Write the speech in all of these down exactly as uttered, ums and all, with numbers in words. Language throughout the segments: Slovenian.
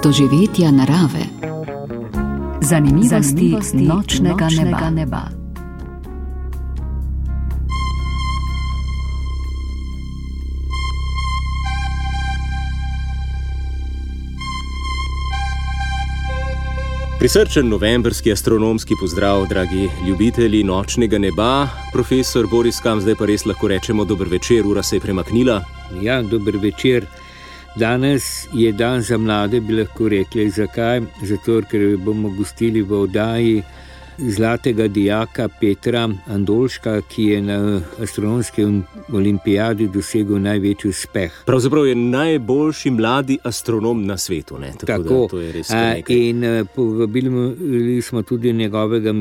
doživetja narave. Zanimivosti, Zanimivosti nočnega, nočnega neba. neba. Prisrčen novembrski astronomski pozdrav, dragi ljubitelji nočnega neba. Profesor Boris Kam, zdaj pa res lahko rečemo dober večer, ura se je premaknila. Ja, dober večer. Danes je dan za mlade, bi lahko rekli. Zakaj? Zato, ker bomo gostili v oddaji zlatega dijaka Petra Andolška, ki je na astronomski olimpijadi dosegel največji uspeh. Pravzaprav je najboljši mladi astronom na svetu. Ne? Tako, Tako. Da, to je res nekaj. In povabili smo tudi njegovega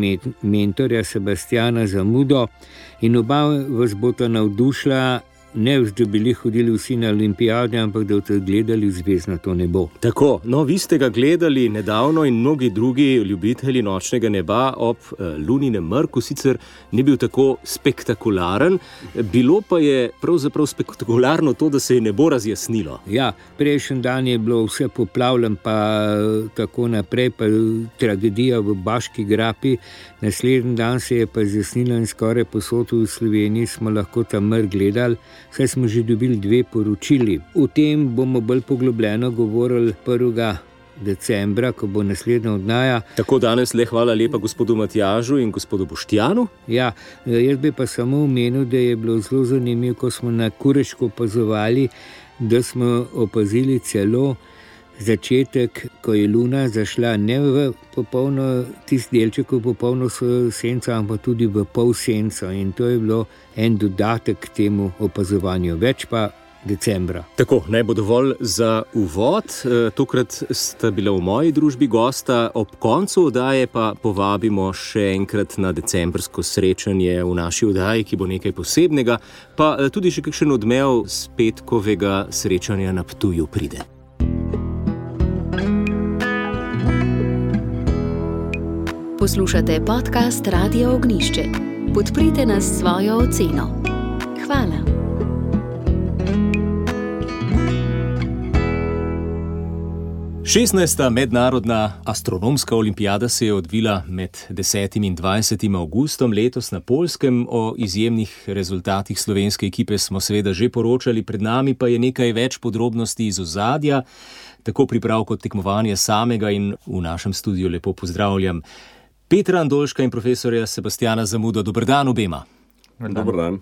mentorja Sebastiana Zamudo in oba vas bosta navdušila, ne da bili hodili vsi na olimpijade, ampak da boste gledali zvezdnato nebo. Tako, no vi ste ga gledali nedavno in mnogi drugi ljubitelji nočnega neba ob uh, luninem mrku, sicer ni bil tako spektakularen, bilo pa je pravzaprav spektakularno to, da se je nebo razjasnilo. Ja, prejšnji dan je bilo vse poplavljeno, pa tako naprej, pa tragedija v Baški grapi, naslednji dan se je pa zjasnilo in skoraj posod v Sloveniji smo lahko tam mrk gledali. Saj smo že dobili dve poročili. O tem bomo bolj poglobljeno govorili prvega decembra, ko bo naslednja oddaja. Tako danes le hvala lepa gospodu Matjažu in gospodu Boštjanu. Ja, jaz bi pa samo omenil, da je bilo zelo zanimivo, ko smo na Kureško opazovali, da smo opazili celo začetek, ko je luna zašla ne v popolno, tisti delček v popolno senco, ampak tudi v pol senco. In to je bilo en dodatek k temu opazovanju. Več pa decembra. Tako, naj bo dovolj za uvod. Tokrat sta bila v moji družbi gosta, ob koncu oddaje pa povabimo še enkrat na decembrsko srečanje v naši oddaji, ki bo nekaj posebnega, pa tudi še kakšen odmev z petkovega srečanja na Ptuju pride. Poslušate podcast Radia Ognjišče. Podprite nas s svojo oceno. Hvala. šestnajsta mednarodna astronomska olimpijada se je odvila med desetim in dvajsetim avgustom letos na Poljskem. O izjemnih rezultatih slovenske ekipe smo seveda že poročali, pred nami pa je nekaj več podrobnosti iz ozadja, tako priprav kot tekmovanje samega, in v našem studiu lepo pozdravljam Petra Andolška in profesorja Sebastiana Zamudo. Dober dan obema. Dober dan.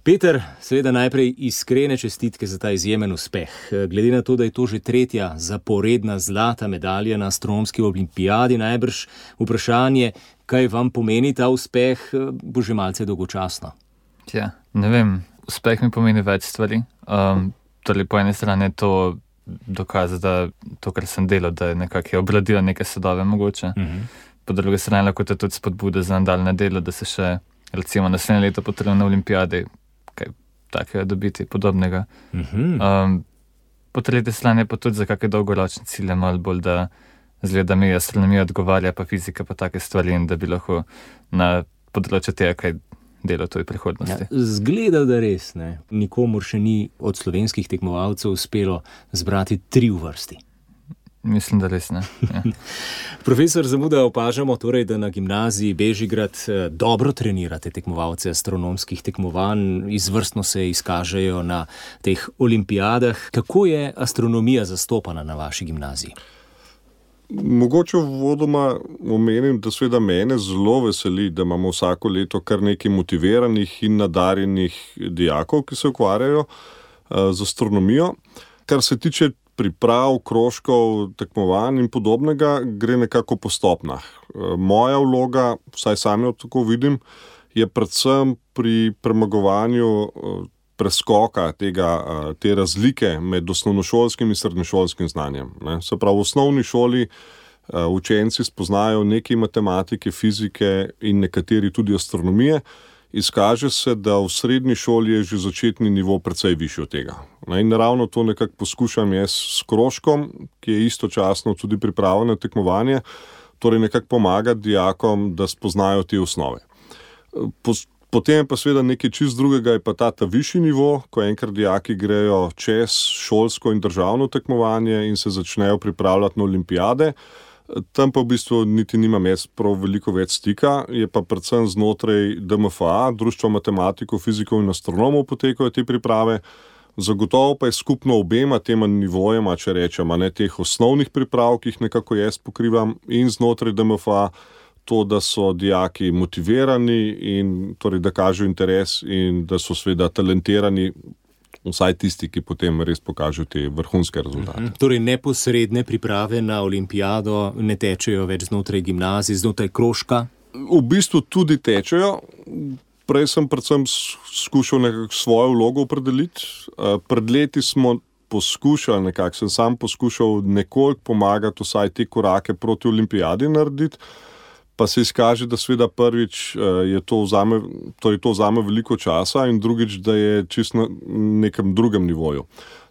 Peter, seveda najprej iskrene čestitke za ta izjemen uspeh. Glede na to, da je to že tretja zaporedna zlata medalja na astronomski olimpijadi, najbrž vprašanje, kaj vam pomeni ta uspeh, bo že malce dolgočasno. Ja, ne vem, uspeh mi pomeni več stvari. Um, torej po eni strani je to dokaz, da to, kar sem delal, da je nekako je obladila neke sadove mogoče. Uh-huh. Po drugi strani lahko to tudi spodbude za nadaljne delo, da se še recimo naslednje leto potrebno na olimpijadi kaj takega dobiti, podobnega. Uh-huh. Um, po tretji strani pa tudi za kakšne dolgoročne cilje, malo bolj, da zgleda mi astronomija odgovarja, pa fizika, pa take stvari, in da bi lahko na področju tega kaj delo to v prihodnosti. Ja, zgleda, da res, ne. Nikomur še ni od slovenskih tekmovalcev uspelo zbrati tri v vrsti. Mislim, da res ne. Ja. Profesor Zamuda, opažamo torej, da na gimnaziji Bežigrad dobro trenirate tekmovalce astronomskih tekmovanj, izvrstno se izkažejo na teh olimpijadah. Kako je astronomija zastopana na vaši gimnaziji? Mogoče vodoma omenim, da seveda mene zelo veseli, da imamo vsako leto kar nekaj motiviranih in nadarjenih dijakov, ki se ukvarjajo uh, z astronomijo. Kar se tiče priprav, krožkov, tekmovanj in podobnega, gre nekako po stopnjah. Moja vloga, vsaj sam jo tako vidim, je predvsem pri premagovanju preskoka tega, te razlike med osnovnošolskim in srednješolskim znanjem. Ne? Se pravi, v osnovni šoli učenci spoznajo nekaj matematike, fizike in nekateri tudi astronomije. Izkaže se, da v srednji šoli je že začetni nivo precej višji od tega. In ravno to nekako poskušam jaz s krožkom, ki je istočasno tudi priprava na tekmovanje, torej nekako pomagati dijakom, da spoznajo te osnove. Po, Potem je pa seveda nekaj čist drugega, je pa ta, ta višji nivo, ko enkrat dijaki grejo čez šolsko in državno tekmovanje in se začnejo pripravljati na olimpijade. Tam pa v bistvu niti nimam jaz prav veliko več stika, je pa predvsem znotraj D M F A, Društva matematikov, fizikov in astronomov potekajo te priprave. Zagotovo pa je skupno obema tema nivojema, če rečem, ne teh osnovnih priprav, ki jih nekako jaz pokrivam, in znotraj D M F A to, da so dijaki motivirani in torej, da kažejo interes in da so seveda talentirani, vsaj tisti, ki potem res pokažejo te vrhunske rezultate. Mhm. Torej neposredne priprave na olimpijado ne tečejo več znotraj gimnazij, znotraj krožka? V bistvu tudi tečejo. Prej sem predvsem skušal nekako svojo vlogo opredeliti. Pred leti smo poskušali, nekako sem sam poskušal nekoliko pomagati vsaj te korake proti olimpijadi narediti, pa se izkaže, da seveda prvič je to vzame, torej to vzame veliko časa in drugič, da je čisto na nekem drugem nivoju.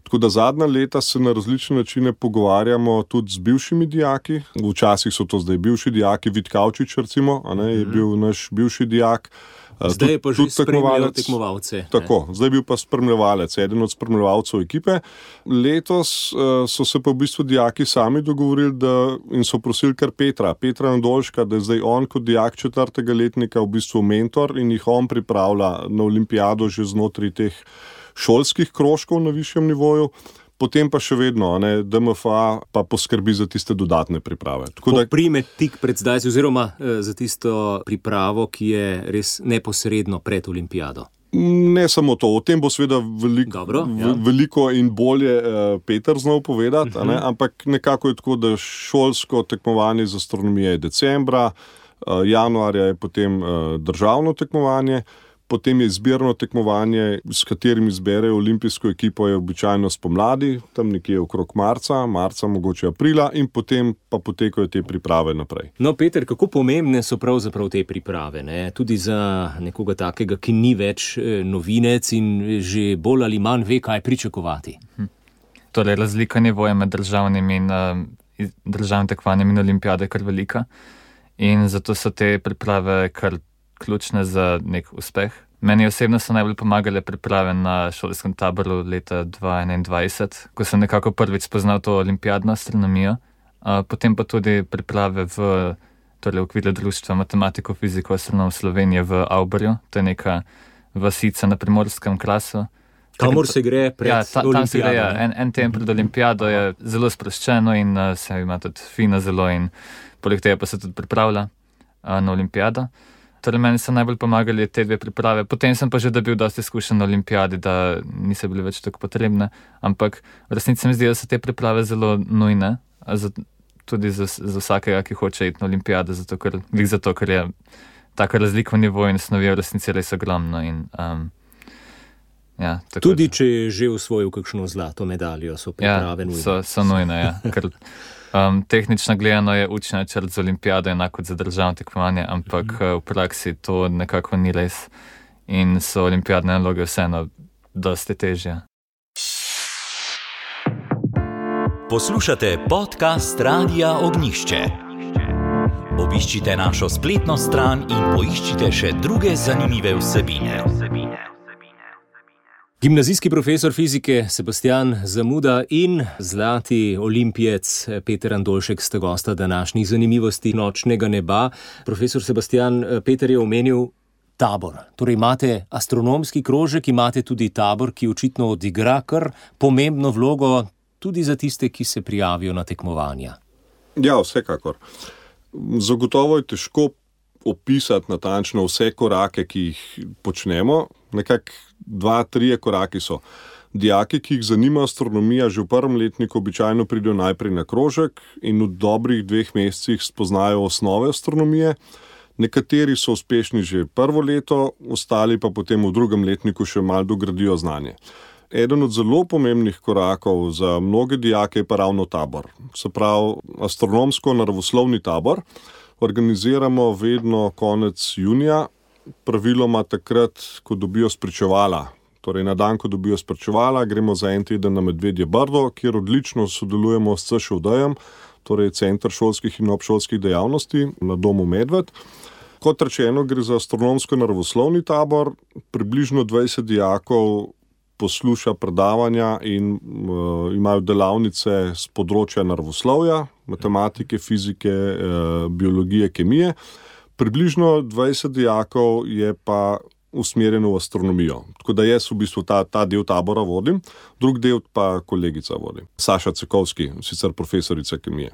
Tako da zadnja leta se na različne načine pogovarjamo tudi z bivšimi dijaki. Včasih so to zdaj bivši dijaki, Vid Kavčič recimo, a ne, je bil naš bivši dijak. Zdaj je pa že spremljal tekmovalce. Tako, ne. Zdaj je bil pa spremljevalec, eden od spremljevalcev ekipe. Letos uh, so se pa v bistvu dijaki sami dogovorili da, in so prosili kar Petra, Petra Andolška, da je zdaj on kot dijak četrtega letnika v bistvu mentor in jih on pripravlja na olimpijado že znotraj teh šolskih krožkov na višjem nivoju. Potem pa še vedno, ne, D M F A pa poskrbi za tiste dodatne priprave. Tako da prime tik pred zdaj, oziroma eh, za tisto pripravo, ki je res neposredno pred olimpijado. Ne samo to, o tem bo seveda veliko, Dobro, ja. veliko in bolje eh, Peter znal povedati, uh-huh. ne, ampak nekako je tako, da šolsko tekmovanje z astronomije je decembra, eh, januarja je potem eh, državno tekmovanje, potem je izbirno tekmovanje, s katerim izberejo olimpijsko ekipo, je običajno spomladi, tam nekje okrog marca, marca, mogoče aprila, in potem pa potekajo te priprave naprej. No, Peter, kako pomembne so pravzaprav te priprave, ne? Tudi za nekoga takega, ki ni več novinec in že bolj ali manj ve, kaj pričakovati? Hm. Torej, razlika nivoja med državnim in uh, državnim tekmovanjem in olimpijade je kar velika in zato so te priprave kar ključne za nek uspeh. Meni osebno so najbolj pomagale priprave na šolskem taboru leta dva tisoč enaindvajset, ko sem nekako prvič spoznal to olimpijadno astronomijo, uh, potem pa tudi priprave v torej, okviru Društva matematikov, fizikov, astronomov Slovenije v Avbarju, to je neka vasica na primorskem krasu. Kamor se gre pred ja, ta, olimpijado? Se gre, ja. en, en teden pred olimpijado je zelo sproščeno in uh, se ima tudi fino zelo in poleg tega pa se tudi pripravlja uh, na olimpijado. Torej, meni so najbolj pomagali te dve priprave. Potem sem pa že dobil dosti izkušenj na olimpijadi, da niso bili več tako potrebne, ampak v resnici mi zdi, da so te priprave zelo nujne, za, tudi za, za vsakega, ki hoče iti na olimpijado, zato ker, zato, ker je taka razlika v nivoju in snovi v resnici res ogromno. In, um, ja, tudi če je že osvojil kakšno zlato medaljo, so priprave ja, nujne. So, so nujne, ja. Ker, Um, tehnično gledano je učni načrt za olimpijado enako kot za državno tekmovanje, ampak mm-hmm. v praksi to nekako ni res in so olimpijadne naloge vseeno dosti težje. Poslušate podcast Radia Ognjišče. Obiščite našo spletno stran in poiščite še druge zanimive vsebine. Gimnazijski profesor fizike Sebastian Zamuda in zlati olimpijec Peter Andolšek sta gosta današnjih zanimivosti nočnega neba. Profesor Sebastian, Peter je omenil tabor. Torej imate astronomski krožek, imate tudi tabor, ki očitno odigra kar pomembno vlogo tudi za tiste, ki se prijavijo na tekmovanja. Ja, vsekakor. Zagotovo je težko opisati natančno vse korake, ki jih počnemo. Nekako dva, trije koraki so. Dijaki, ki jih zanima astronomija, že v prvem letniku običajno pridejo najprej na krožek in v dobrih dveh mesecih spoznajo osnove astronomije. Nekateri so uspešni že prvo leto, ostali pa potem v drugem letniku še malo dogradijo znanje. Eden od zelo pomembnih korakov za mnoge dijake je pa ravno tabor. Se pravi, astronomsko-naravoslovni tabor organiziramo vedno konec junija, praviloma takrat, ko dobijo spričevala. Torej na dan, ko dobijo spričevala, gremo za en teden na Medvedje Brdo, kjer odlično sodelujemo s C Š O D-jem, torej Center šolskih in obšolskih dejavnosti na domu Medved. Kot rečeno, gre za astronomsko-naravoslovni tabor, približno dvajset dijakov posluša predavanja in uh, imajo delavnice z področja naravoslovja, matematike, fizike, uh, biologije, kemije. Približno dvajset dijakov je pa usmerjeno v astronomijo. Tako da jaz v bistvu ta, ta del tabora vodim, drug del pa kolegica vodi. Saša Cekovski, sicer profesorica kemije.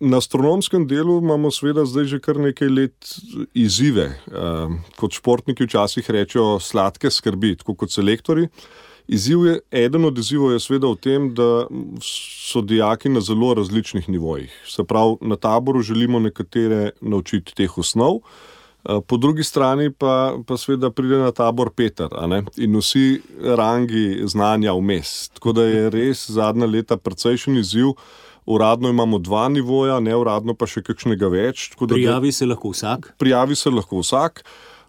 Na astronomskem delu imamo seveda zdaj že kar nekaj let izzive. E, kot športniki včasih rečejo sladke skrbi, tako kot selektori. Izziv je, eden od izzivov je seveda v tem, da so dijaki na zelo različnih nivojih. Se pravi, na taboru želimo nekatere naučiti teh osnov, po drugi strani pa, pa seveda pride na tabor Peter, a ne? In vsi rangi znanja vmes. Tako da je res zadnja leta precejšen izziv. Uradno imamo dva nivoja, neuradno pa še kakšnega več. Tako da prijavi se lahko vsak? Prijavi se lahko vsak.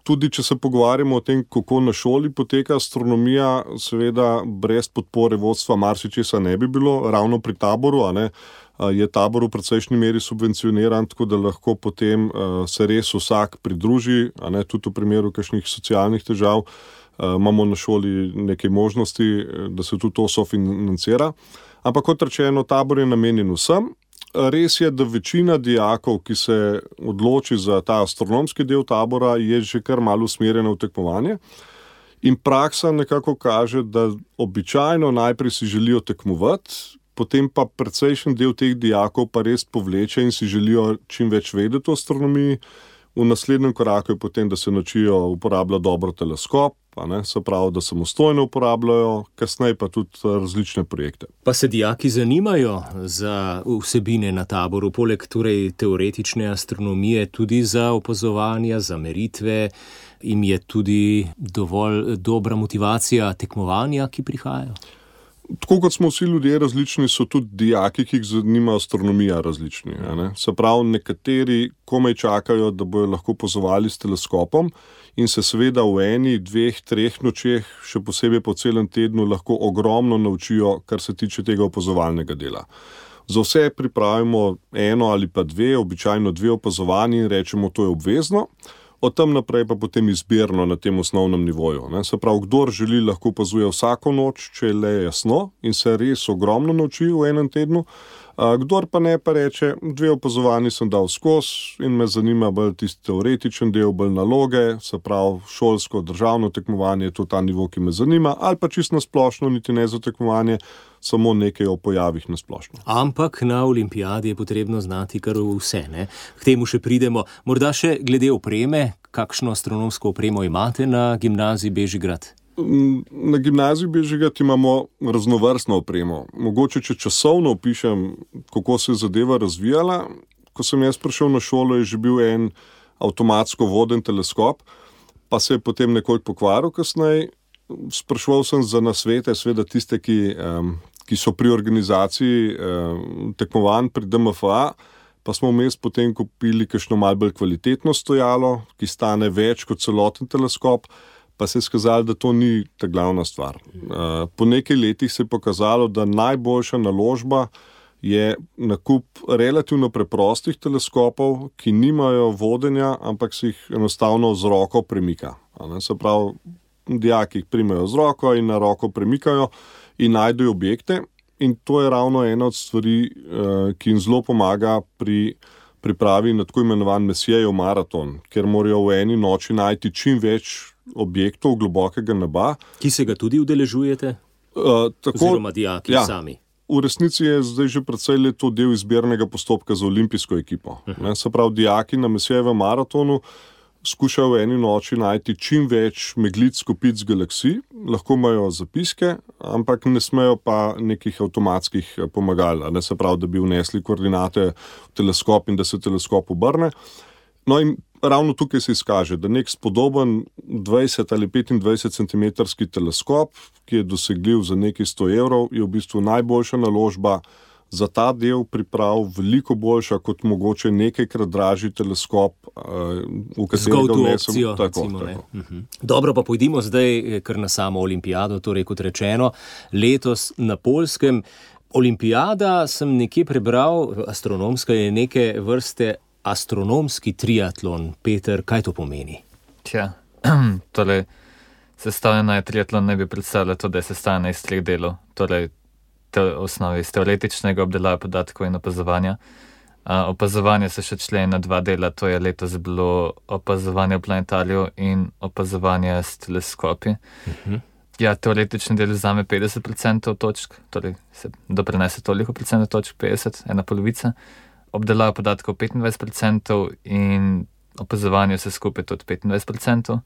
Tudi če se pogovarjamo o tem, kako na šoli poteka astronomija, seveda brez podpore vodstva marsičesa ne bi bilo, ravno pri taboru, a ne? Je tabor v precejšnji meri subvencioniran, tako da lahko potem uh, se res vsak pridruži, a ne, tudi v primeru kakšnih socialnih težav. Uh, imamo na šoli nekaj možnosti, da se tudi to sofinancira. Ampak kot rečeno, tabor je namenjen vsem. Res je, da večina dijakov, ki se odloči za ta astronomski del tabora, je že kar malo usmerjena v tekmovanje. In praksa nekako kaže, da običajno najprej si želijo tekmovati, potem pa precejšen del teh dijakov pa res povleče in si želijo čim več vedeti o astronomiji. V naslednjem koraku je potem, da se naučijo uporabljati dobro teleskop, a ne, se pravi, da samostojno uporabljajo, kasneje pa tudi različne projekte. Pa se dijaki zanimajo za vsebine na taboru, poleg torej teoretične astronomije, tudi za opazovanja, za meritve, jim je tudi dovolj dobra motivacija tekmovanja, ki prihajajo? Tako kot smo vsi ljudje različni, so tudi dijaki, ki jih zanima astronomija, različni. Ne? Se pravi, nekateri komaj čakajo, da bojo lahko opazovali s teleskopom in se seveda v eni, dveh, treh nočeh, še posebej po celem tednu, lahko ogromno naučijo, kar se tiče tega opazovalnega dela. Za vse pripravimo eno ali pa dve, običajno dve opazovanji in rečemo, to je obvezno. Od tam naprej pa potem izbirno na tem osnovnem nivoju. Ne? Se pravi, kdor želi, lahko opazuje vsako noč, če je le jasno in se res ogromno nauči v enem tednu. A, kdor pa ne, pa reče, dve opazovanji sem dal skozi in me zanima bolj tisti teoretičen del, bolj naloge, se pravi, šolsko, državno tekmovanje, to je ta nivo, ki me zanima, ali pa čisto nasplošno, niti ne za tekmovanje, samo nekaj o pojavih nasplošno. Ampak na olimpijadi je potrebno znati kar vse, ne? K temu še pridemo. Morda še glede opreme, kakšno astronomsko opremo imate na gimnaziji Bežigrad? Na gimnaziji Bežigrad imamo raznovrstno opremo. Mogoče, če časovno opišem, kako se je zadeva razvijala, ko sem jaz prišel na šolo, je že bil en avtomatsko voden teleskop, pa se je potem nekoliko pokvaril kasneje. Spraševal sem za nasvete, seveda tiste, ki, um, ki so pri organizaciji um, tekmovanj pri D M F A, pa smo vmes potem kupili kakšno malo bolj kvalitetno stojalo, ki stane več kot celoten teleskop, pa se je skazalo, da to ni ta glavna stvar. Uh, po nekaj letih se je pokazalo, da najboljša naložba je nakup relativno preprostih teleskopov, ki nimajo vodenja, ampak se jih enostavno z roko premika. Se pravi, dijaki jih primejo z roko in na roko premikajo in najdejo objekte. In to je ravno ena od stvari, ki jim zelo pomaga pri pripravi na tako imenovan Messijejev maraton, ker morajo v eni noči najti čim več objektov globokega neba. Ki se ga tudi udeležujete? Uh, tako, Oziroma dijaki ja, sami? V resnici je zdaj že precej let to del izbirnega postopka za olimpijsko ekipo. Uh-huh. Se pravi, dijaki na Messijejevem maratonu skušajo v eni noči najti čim več meglic, kopic, galaksij, lahko imajo zapiske, ampak ne smejo pa nekih avtomatskih pomagal, ne, se pravi, da bi vnesli koordinate v teleskop in da se teleskop obrne. No in ravno tukaj se izkaže, da nek spodoben dvajset ali petindvajset centimetrski teleskop, ki je dosegljiv za nekaj sto evrov, je v bistvu najboljša naložba za ta del priprav, veliko boljša kot mogoče nekajkrat dražji teleskop, v katerega vnesemo. Tako, tako. Uh-huh. Dobro, pa pojdimo zdaj kar na samo olimpijado, torej kot rečeno, letos na Poljskem. Olimpijada, sem nekje prebral, astronomska je neke vrste astronomski triatlon. Peter, kaj to pomeni? Tja, torej, sestavljena je triatlon, ne bi predstavljala to, da je sestavljena iz treh delov. Torej, te osnovi iz teoretičnega obdelave podatkov in opazovanja. Uh, opazovanje se še členi na dva dela, to je letos bilo opazovanje v planetariju in opazovanje s teleskopi. Uh-huh. Ja, teoretični del vzame petdeset procentov točk, torej se doprinese toliko procentov točk, petdeset, ena polovica. Obdelava podatkov petindvajset procentov in opazovanje vse skupaj tudi petindvajset procentov.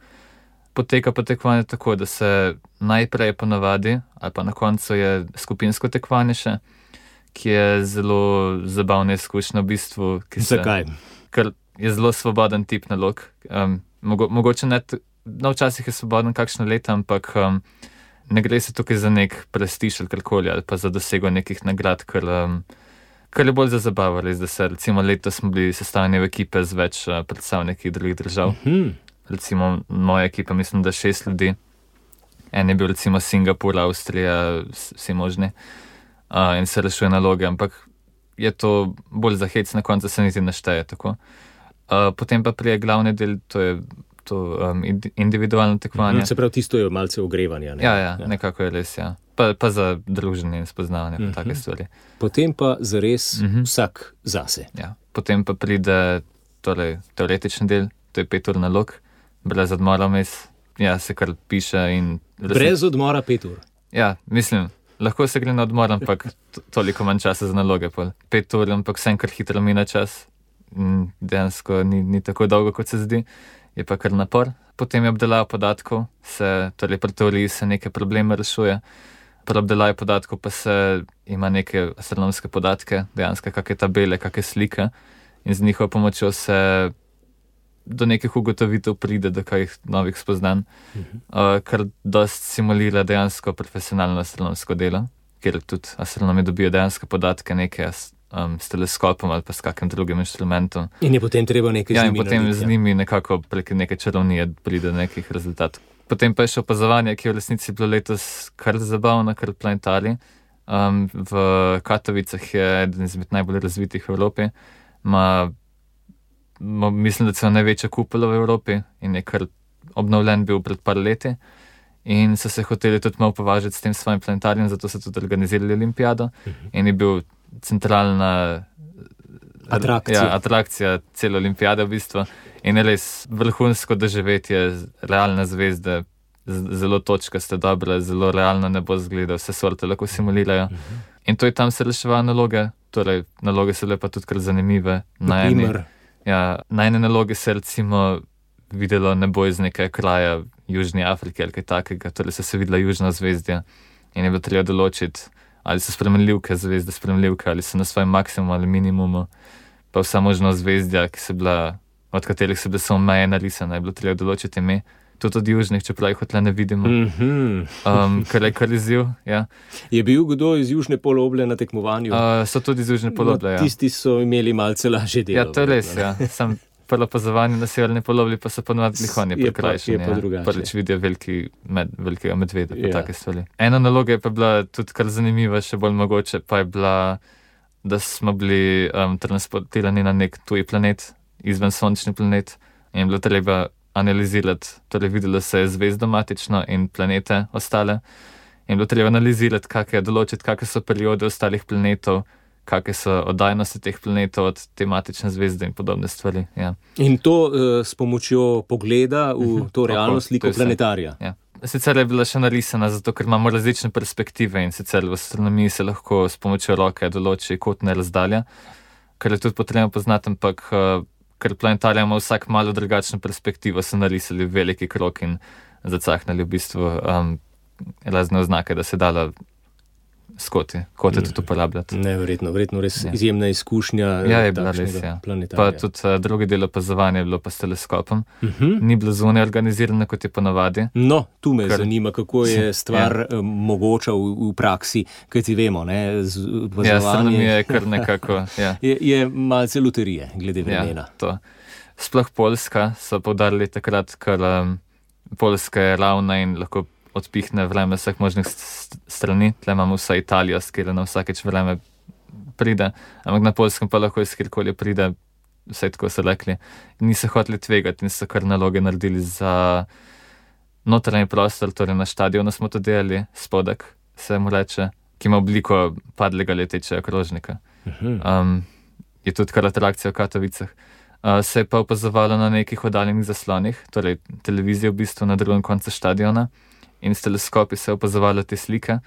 Poteka pa tekmovanje tako, da se najprej ponavadi, ali pa na koncu je skupinsko tekmovanje še, ki je zelo zabavna izkušnja v bistvu. Ki se, Zakaj? Ker je zelo svoboden tip nalog. Um, mogo, mogoče ne, no včasih je svoboden kakšno leto, ampak um, ne gre se tukaj za nek prestiž ali karkoli, ali pa za dosego nekih nagrad, ker, um, ker je bolj za zabavo, res, da se recimo letos smo bili sestavljeni v ekipe z več uh, predstavniki drugih držav. Uh-huh. Recimo moja ekipa, mislim, da šest ljudi. En je bil recimo Singapur, Avstrija, vsi možni. Uh, in se rešuje naloge, ampak je to bolj za hec, na koncu se niti našteje tako. Uh, potem pa prije glavni del, to je to um, individualno tekmovanje. Se pravi, tisto je malce ogrevanja. Ne? Ja, ja, ja, nekako je res, ja. Pa, pa za druženje in spoznavanje, pa uh-huh. take stvari. Potem pa zares uh-huh. vsak zase. Ja. Potem pa pride torej, teoretični del, to je pet ur nalog, brez odmora vmes, ja, se kar piše in... Brez odmora pet ur? Ja, mislim, lahko se gre na odmor, ampak to, toliko manj časa za naloge. Pol. Pet ur, ampak vsem kar hitro mine čas. Dejansko ni, ni tako dolgo, kot se zdi. Je pa kar napor. Potem je obdelava podatkov, se, torej pri teoriji se neke probleme rešuje. Pri obdelavi podatkov pa se ima neke astronomske podatke, dejansko kakšne tabele, kakšne slike in z njihovo pomočjo se do nekih ugotovitev pride, do kakih novih spoznanj, uh-huh. uh, kar dost simulira dejansko profesionalno astronomsko delo, kjer tudi astronomi dobijo dejansko podatke neke um, s teleskopom ali pa s kakim drugim inštrumentom. In je potem treba nekaj ja, z njimi in potem narediti, z njimi nekako prek neke čarovnije pride do nekih rezultatov. Potem pa je še opazovanje, ki je v resnici bilo letos kar zabavno, kar planetarij. Um, v Katovicah je eden izmed najbolj razvitih v Evropi. Ma, ma, mislim, da celo največja kupola v Evropi in je kar obnovljen bil pred par leti. In so se hoteli tudi malo považati s tem svojim planetarijem, zato so tudi organizirali olimpijado. Uh-huh. In je bil centralna atrakcija, ja, atrakcija cele olimpijade v bistvu. In je res vrhunsko doživetje, realne zvezde, zelo točkaste, dobre, zelo realno nebo zgleda, vse sorte lahko simulirajo. Uh-huh. In to je tam se reševa naloge, torej naloge so lepa tudi kar zanimive. Na eni, ja, na ene naloge se recimo videlo nebo iz nekaj kraja Južni Afrike ali kaj takega, torej so se videla južna zvezdja in je bilo treba določiti, ali so spremenljivke zvezde spremenljivke, ali so na svojem maksimumu ali minimumu, pa vsa možna zvezdja, ki so bila, od katerih so bile samo meje narisane, je bilo treba določiti ime, tudi od južnih, čeprav jih hotle ne vidimo, mm-hmm. um, kar je kar izziv. Ja. Je bil kdo iz Južne poloble na tekmovanju? Uh, so tudi iz Južne poloble, no, ja. Tisti so imeli malce lažje delo. Ja, to je res, ja. Sam prvo opazovanje na severni polobli pa so ponovadi lihonje prekrajšeni. Je pa, je pa ja. Prvič vidijo veliki med, velikega medveda, pa ja. take stvari. Ena naloga je pa bila tudi kar zanimiva, še bolj mogoče, pa je bila, da smo bili um, transportirani na nek tuji planet, izven sončni planet, in je bilo treba analizirati, torej videlo se je zvezdo matično in planete ostale, in je bilo treba analizirati, kakšne določiti, kakšne so periode ostalih planetov, kakšne so oddajnosti teh planetov od tematične zvezde in podobne stvari. Ja. In to uh, s pomočjo pogleda v to realno sliko planetarija. Ja. Sicer je bila še narisana, zato ker imamo različne perspektive in sicer v astronomiji se lahko s pomočjo roke določi kotne razdalje, kar je tudi potrebno poznati, ampak uh, ker planetarija ima vsak malo drugačno perspektivo, so narisali veliki krog in zacahnali v bistvu um, razne oznake, da se dala skoti, kote tudi uporabljati. Neverjetno, verjetno res ja. Izjemna izkušnja. Ja, je bila res, ja. Pa tudi uh, drugi del opazovanja je bilo pa s teleskopom. Uh-huh. Ni bilo zunaj organizirano, kot je ponavadi. No, tu me Kar... zanima, kako je stvar ja. mogoča v, v praksi, kaj ti vemo, ne, z opazovanje. Ja, astronomija je kar nekako, ja. je, je malce loterije, glede vremena. Ja, to. Sploh Poljska so poudarili takrat, ker um, Poljska je ravna in lahko odpihne vreme vseh možnih strani. Tle imamo vsa Italijo, s kjer na vsakeč vreme pride, ampak na Poljskem pa lahko iz kjerkoli pride vse tako so rekli. Niso hoteli tvegati in so kar naloge naredili za notranji prostor, torej na štadionu smo to delali, spodek se mu reče, ki ima obliko padlega letečega krožnika. Um, je tudi kar atrakcija v Katovicah. Uh, se je pa opazovalo na nekih oddaljenih zaslonih, torej televizijo v bistvu na drugem koncu štadiona in s teleskopi se je opazovalo te slike.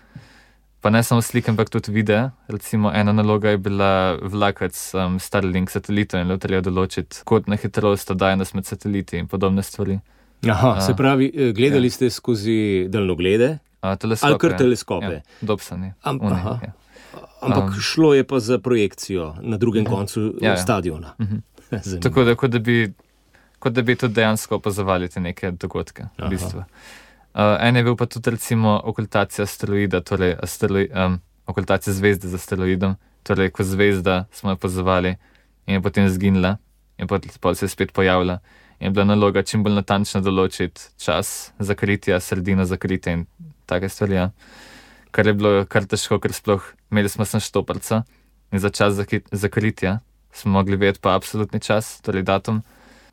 Pa ne samo slike, ampak tudi videe. Recimo ena naloga je bila vlakati um, Starlink satelitov in le treba določiti kotno hitrost, oddaljenost med sateliti in podobne stvari. Aha, uh, se pravi, gledali ja. ste skozi daljnoglede? Uh, teleskope. Ali kar teleskope? Ja, Dobsoni. Am, aha. Ja. Ampak um, šlo je pa za projekcijo na drugem uh, koncu ja, stadiona. Uh -huh. Tako da, kot da bi, kot da bi tudi dejansko opazovali te neke dogodke. V bistvu. Uh, en je bil pa tudi recimo okultacija asteroida, torej asteroi, um, okultacija zvezde z asteroidom, torej ko zvezda smo jo opazovali in je potem zginila in potem se je spet pojavila. In je bila naloga čim bolj natančno določiti čas zakritja, sredino zakritja in take stvari. Ja. Kar je bilo kar težko, ker sploh imeli smo sem štoparca in za čas zakritja smo mogli vedeti pa absolutni čas, torej datum,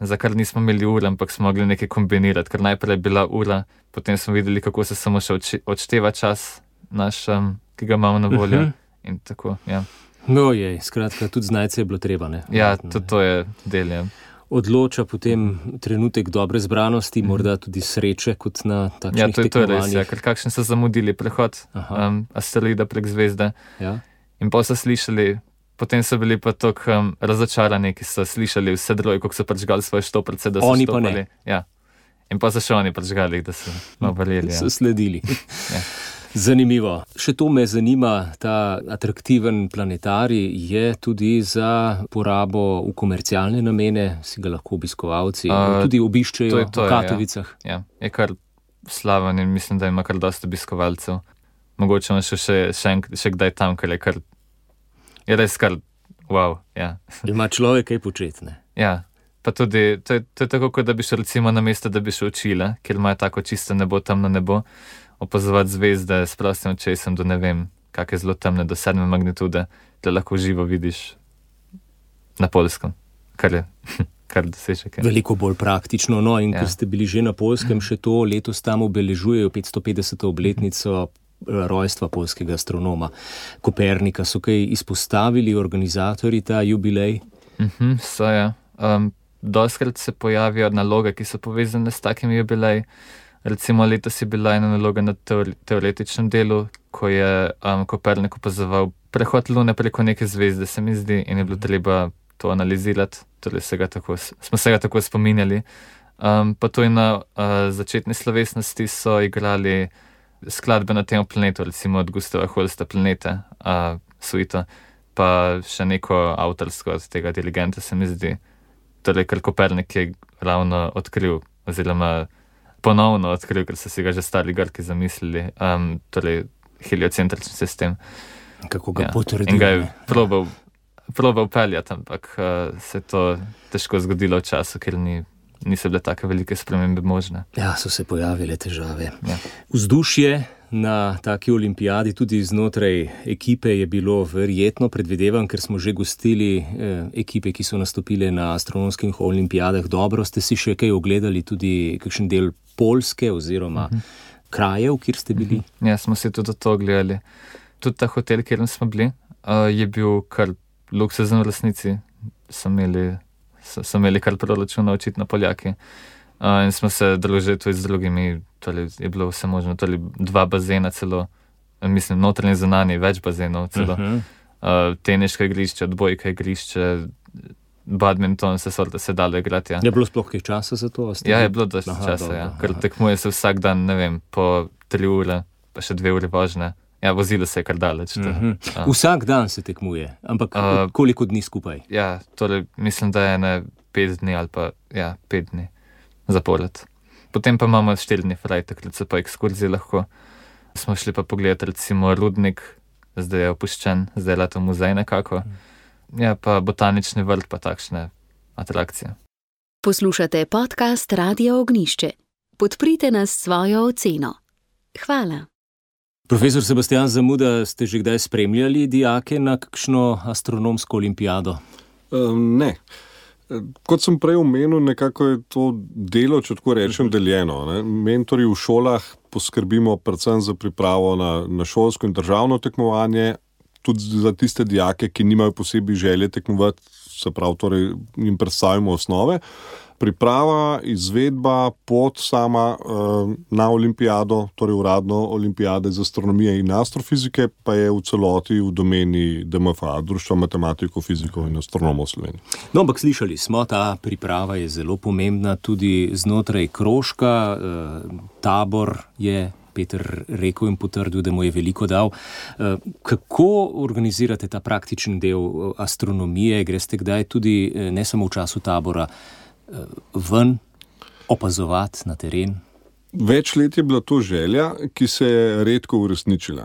za kar nismo imeli ure, ampak smo mogli nekaj kombinirati, ker najprej je bila ura, potem smo videli, kako se samo še odšteva čas naš, um, ki ga imamo na voljo. Uh-huh. In tako, ja. No je, skratka, tudi znajce je bilo treba, ne? Ja, tudi to je del, ja. Odloča potem trenutek dobre zbranosti, mm. morda tudi sreče, kot na takšnih ja, to je, tekmovanjih. Ja, to je res, ja, ker kakšen so zamudili prehod um, asteroida prek zvezde. Ja. In pa so slišali, potem so bili pa tako um, razočarani, ki so slišali vse druge, kako so prižgali svoje štoprce, da so oni štopali. Pa ne. Ja. In pa so še oni prižgali, da so obarili. Ja. So sledili. Ja. Zanimivo. Še to me zanima, ta atraktiven planetarij je tudi za porabo v komercialne namene, si ga lahko obiskovalci uh, tudi obiščejo to je to, v Katovicah. Ja. Ja. Je kar slaven in mislim, da ima kar dosta obiskovalcev. Mogoče ima še, še, še, še kdaj tam, ker je kar, je res kar, wow, ja. Ima človek kaj početne. Ja, pa tudi, to je, to je tako, kot da bi šel recimo na mesto, da bi šel v Čile, kjer imajo tako čisto nebo, temno nebo, opazovati zvezde s prostim očesom do ne vem, kak je zelo temne, do sedme magnitude, da lahko živo vidiš na Poljskem, kar je, kar dosežek je. Veliko bolj praktično, no in ja. Ker ste bili že na Poljskem, še to letos tam obeležujejo petstopetdeseto obletnico rojstva poljskega astronoma Kopernika. So kaj izpostavili organizatorji ta jubilej? Mhm, so ja. Um, Doskrat se pojavijo naloge, ki so povezane s takimi jubileji. Recimo letos je bila ena naloga na teoretičnem delu, ko je um, Kopernik opazoval prehod Lune preko neke zvezde, se mi zdi, in je bilo treba to analizirati, torej se ga tako, smo se ga tako spominjali. Um, pa to je na uh, začetni slovesnosti so igrali skladbe na tem planetu, recimo od Gustava Holsta Planete, uh, suito, pa še neko avtorsko od tega dirigenta, se mi zdi. Torej, ker Kopernik je ravno odkril, oziroma ponovno odkril, ker so si ga že stari Grki zamislili, um, torej heliocentrični sistem. Kako ga ja. potrdil. In ga je probal, probal peljati, ampak uh, se je to težko zgodilo v času, ker ni, niso bile take velike spremembe možne. Ja, so se pojavile težave. Ja. Vzdušje na taki olimpijadi, tudi znotraj ekipe, je bilo verjetno, predvidevam, ker smo že gostili eh, ekipe, ki so nastopile na astronomskih olimpijadah. Dobro, ste si še kaj ogledali, tudi kakšen del Poljske oziroma uh-huh. krajev, kjer ste bili? Uh-huh. Ja, smo si tudi to gledali. Tudi ta hotel, kjer smo bili, uh, je bil kar luksuzen v resnici. So imeli, so, so imeli kar proračuna očitno Poljaki. Uh, in smo se družili tudi z drugimi, torej je bilo vse možno, torej dva bazena celo, mislim, notranje zunanje, več bazenov celo, uh-huh. uh, teniško igrišče, odbojka igrišče, badminton, se sorte se dalo igrati. Ja. Je bilo sploh kaj časa za to? Ja, je bilo dosti časa, ja. Ker tekmuje se vsak dan, ne vem, po tri ure, pa še dve uri vožnje. Ja, vozilo se je kar daleč. Uh-huh. Uh. Vsak dan se tekmuje, ampak uh, koliko dni skupaj? Ja, torej mislim, da je ne pet dni ali pa, ja, pet dni zapored. Potem pa imamo štiri dni fraj, takrat so pa ekskurzije lahko. Smo šli pa pogledati recimo rudnik, zdaj je opuščen, zdaj je leto muzej nekako. Ja, pa botanični vrt, pa takšne atrakcije. Poslušate podcast Radia Ognjišče. Podprite nas s svojo oceno. Hvala. Profesor Sebastian Zamuda, ste že kdaj spremljali dijake na kakšno astronomsko olimpijado? Um, ne. Kot sem prej omenil, nekako je to delo, če tako rečem, deljeno. Ne? Mentorji v šolah poskrbimo predvsem za pripravo na, na šolsko in državno tekmovanje, tudi za tiste dijake, ki nimajo posebej želje tekmovati, se pravi, torej jim predstavimo osnove. Priprava, izvedba, pot sama uh, na olimpijado, torej uradno olimpijade z astronomije in astrofizike, pa je v celoti v domeni D M F A, Društva matematikov, fizikov in astronomov Slovenije. No, ampak slišali smo, ta priprava je zelo pomembna tudi znotraj krožka, uh, tabor je Peter rekel in potrdil, da mu je veliko dal. Kako organizirate ta praktični del astronomije? Greste kdaj tudi, ne samo v času tabora, ven opazovati na teren? Več let je bila to želja, ki se je redko uresničila.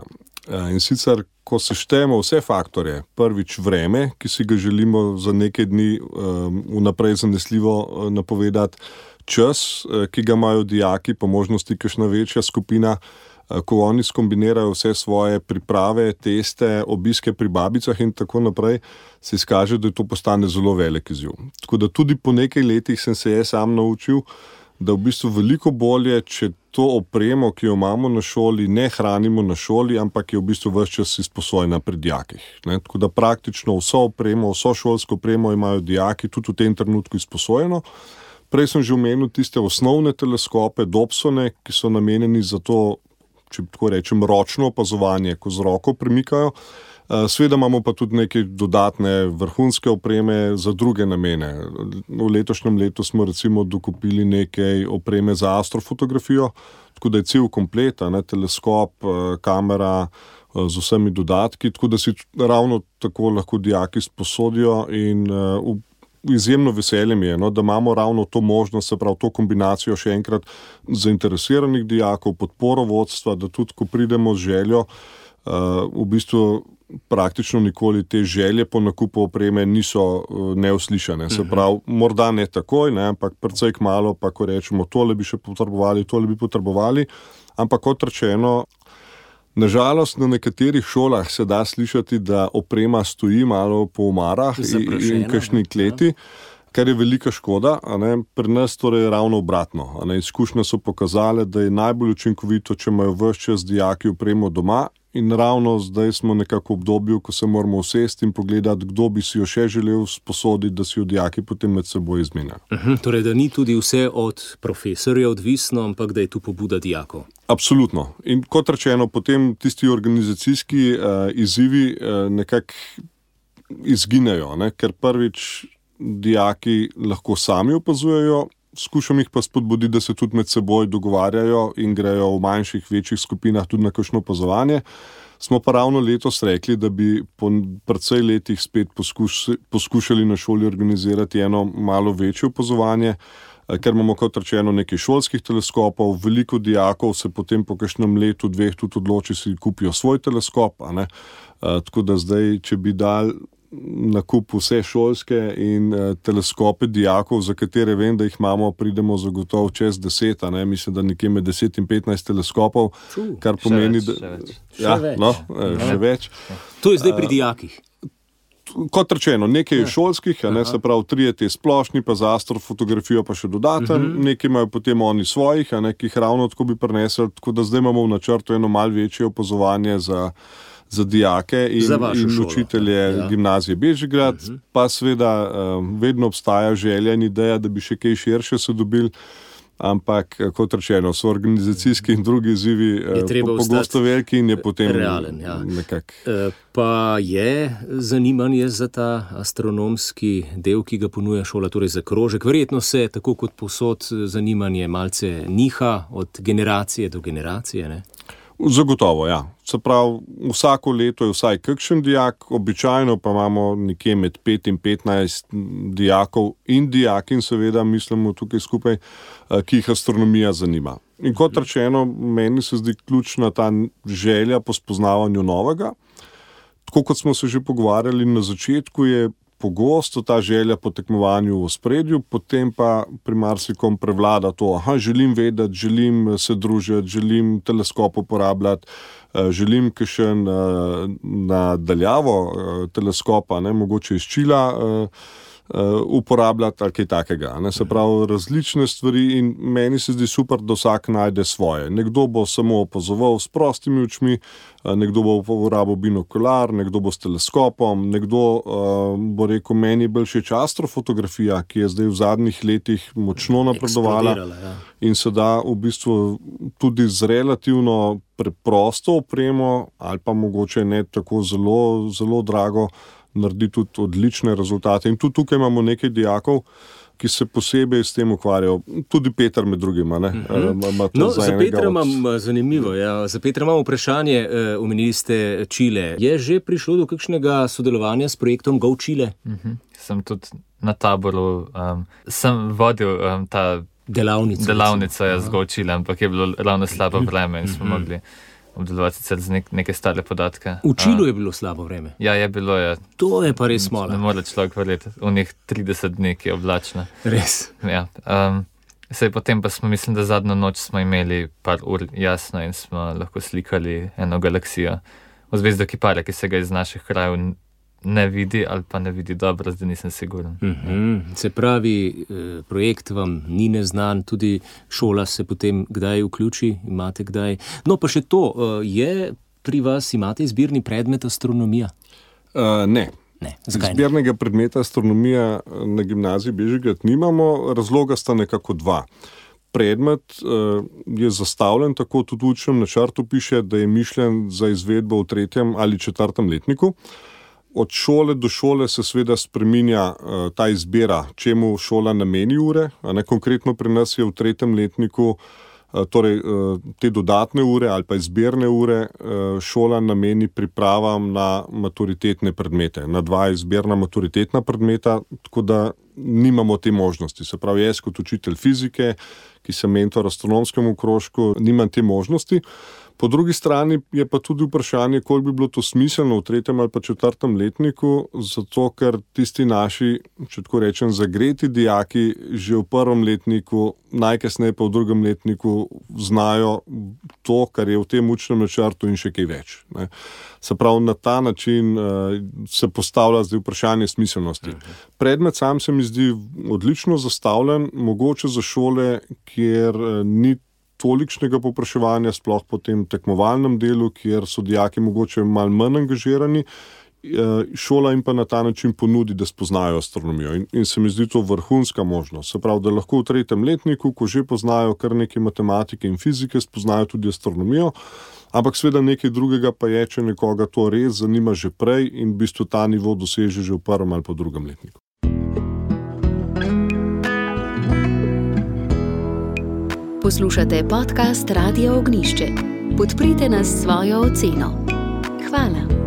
In sicer, ko se štejemo vse faktorje, prvič vreme, ki si ga želimo za nekaj dni vnaprej zanesljivo napovedati, čas, ki ga imajo dijaki, po možnosti kakšna večja skupina, ko oni skombinirajo vse svoje priprave, teste, obiske pri babicah in tako naprej, se izkaže, da je to postane zelo velik izziv. Tako da tudi po nekaj letih sem se jaz sam naučil, da v bistvu veliko bolje, če to opremo, ki jo imamo na šoli, ne hranimo na šoli, ampak je v bistvu ves čas izposojena pri dijakih. Ne? Tako da praktično vso opremo, vso šolsko opremo imajo dijaki tudi v tem trenutku izposojeno. Prej sem že omenil tiste osnovne teleskope, Dobsone, ki so namenjeni za to, če tako rečem, ročno opazovanje, ko z roko premikajo. Seveda imamo pa tudi neke dodatne vrhunske opreme za druge namene. V letošnjem letu smo recimo dokupili nekaj opreme za astrofotografijo, tako da je cel komplet, ne, teleskop, kamera z vsemi dodatki, tako da si ravno tako lahko dijaki sposodijo in v izjemno veseljem je, no, da imamo ravno to možnost, se pravi to kombinacijo še enkrat zainteresiranih dijakov, podporo vodstva, da tudi ko pridemo z željo, uh, v bistvu praktično nikoli te želje po nakupu opreme niso uh, neuslišane. Se pravi, morda ne takoj, ne, ampak precej kmalu, pa ko rečemo, tole bi še potrebovali, tole bi potrebovali, ampak kot rečeno, nažalost, na nekaterih šolah se da slišati, da oprema stoji malo po omarah in, in kakšni kleti, kar je velika škoda. A ne? Pri nas torej ravno obratno. A ne? Izkušnje so pokazale, da je najbolj učinkovito, če imajo ves čas dijaki opremo doma, in ravno zdaj smo nekako v obdobju, ko se moramo usesti in pogledati, kdo bi si jo še želel sposoditi, da si jo dijaki potem med seboj izmenjajo. Uh-huh, torej, da ni tudi vse od profesorja odvisno, ampak da je tu pobuda dijakov. Absolutno. In kot rečeno, potem tisti organizacijski uh, izzivi uh, nekako izginejo, ne? Ker prvič dijaki lahko sami opazujejo, skušam jih pa spodbuditi, da se tudi med seboj dogovarjajo in grejo v manjših, večjih skupinah tudi na kakšno opazovanje. Smo pa ravno letos rekli, da bi po precej letih spet poskuš, poskušali na šoli organizirati eno malo večje opazovanje, ker imamo kot rečeno nekaj šolskih teleskopov, veliko dijakov se potem po kakšnem letu, dveh tudi odloči, si kupijo svoj teleskop, a ne? Tako da zdaj, če bi dal nakup vse šolske in uh, teleskope dijakov, za katere vem, da jih imamo, pridemo zagotovo čez deset, a ne, mislim, da nekje med deset in petnajst teleskopov, Ču, kar pomeni, več, da... Še več. Ja, še no, več. Še več. To je zdaj pri dijakih. Uh, kot rečeno, nekaj je šolskih, a ne, se pravi, trije te splošni, pa za astrofotografijo pa še dodaten, uh-huh. nekaj imajo potem oni svojih, a ne, ki jih ravno tako bi prinesli, tako da zdaj imamo v načrtu eno malo večje opazovanje za za dijake in, in učitelje ja. Gimnazije Bežigrad, uh-huh. pa seveda um, vedno obstaja želja in ideja, da bi še kaj širše se dobili, ampak kot rečeno, so organizacijski in drugi izzivi po, pogosto veliki in je potem realen, ja. nekak. Pa je zanimanje za ta astronomski del, ki ga ponuja šola, torej za krožek. Verjetno se, tako kot povsod, zanimanje malce niha od generacije do generacije, ne? Zagotovo, ja. Se pravi, vsako leto je vsaj kakšen dijak, običajno pa imamo nekje med pet in petnajst dijakov in dijakin, seveda, mislimo tukaj skupaj, ki jih astronomija zanima. In kot rečeno, meni se zdi ključna ta želja po spoznavanju novega. Tako kot smo se že pogovarjali na začetku, je pogosto ta želja po tekmovanju v ospredju, potem pa pri marsikom prevlada to, aha, želim vedeti, želim se družiti, želim teleskop uporabljati, želim kakšen na daljavo teleskopa, ne, mogoče iz čila uporabljati ali kaj takega. Ne? Se pravi, različne stvari in meni se zdi super, da vsak najde svoje. Nekdo bo samo opazoval s prostimi očmi, nekdo bo uporabil binokular, nekdo bo s teleskopom, nekdo uh, bo rekel, meni je bolj všeč astrofotografija, ki je zdaj v zadnjih letih močno napredovala ja. In se da v bistvu tudi z relativno preprosto opremo ali pa mogoče ne tako zelo, zelo drago naredi tudi odlične rezultate. In tudi tukaj imamo nekaj dijakov, ki se posebej s tem ukvarjajo. Tudi Peter med drugima. Ne? Mm-hmm. No, za, za Petra od... imam zanimivo. Ja. Za Petra imam vprašanje. Omenili ste Čile. Je že prišlo do kakšnega sodelovanja s projektom Go Chile? Mm-hmm. Sem tudi na taboru, um, sem vodil um, ta delavnico, delavnico ja, z Go Chile, ampak je bilo ravno slabo vreme in smo mm-hmm. mogli obdelovati sicer z nek, neke stare podatke. V Čilu je bilo slabo vreme? Ja, je bilo. Je. To je pa res malo. Ne more človek verjeti. V njih trideset dni, ki je oblačno. Res? Ja. Um, sej potem pa smo, mislim, da zadnjo noč smo imeli par ur jasno in smo lahko slikali eno galaksijo v zvezdo Kipare, ki se ga iz naših krajev ne vidi ali pa ne vidi dobro, zdaj nisem siguren. Mm-hmm. Se pravi, projekt vam ni neznan, tudi šola se potem kdaj vključi, imate kdaj. No pa še to, je pri vas, imate izbirni predmet astronomija? Uh, ne. Ne. Zakaj izbirnega ne? predmeta astronomija na gimnaziji Bežigrad nimamo, razloga sta nekako dva. Predmet uh, je zastavljen, tako tudi v učnem načrtu piše, da je mišljen za izvedbo v tretjem ali četrtem letniku. Od šole do šole se seveda spreminja uh, ta izbira, čemu šola nameni ure. A ne, konkretno pri nas je v tretjem letniku uh, torej, uh, te dodatne ure ali pa izbirne ure uh, šola nameni pripravam na maturitetne predmete, na dva izbirna maturitetna predmeta, tako da nimamo te možnosti. Se pravi, jaz kot učitelj fizike, ki sem mentor astronomskemu krožku, nimam te možnosti. Po drugi strani je pa tudi vprašanje, koliko bi bilo to smiselno v tretjem ali pa četrtem letniku, zato ker tisti naši, če tako rečem, zagreti dijaki že v prvem letniku, najkasneje pa v drugem letniku znajo to, kar je v tem učnem načrtu in še kaj več. Ne. Se pravi, na ta način uh, se postavlja zdaj vprašanje smiselnosti. Predmet sam se mi zdi odlično zastavljen, mogoče za šole, kjer uh, ni tolikšnega povpraševanja, sploh po tem tekmovalnem delu, kjer so dijaki mogoče malo manj angažirani, šola jim pa na ta način ponudi, da spoznajo astronomijo. In, in se mi zdi to vrhunska možnost. Se pravi, da lahko v tretjem letniku, ko že poznajo kar nekaj matematike in fizike, spoznajo tudi astronomijo, ampak seveda nekaj drugega pa je, če nekoga to res zanima že prej in v bistvu ta nivo doseže že v prvem ali pa drugem letniku. Poslušate podcast Radia Ognišče. Podprite nas s svojo oceno. Hvala.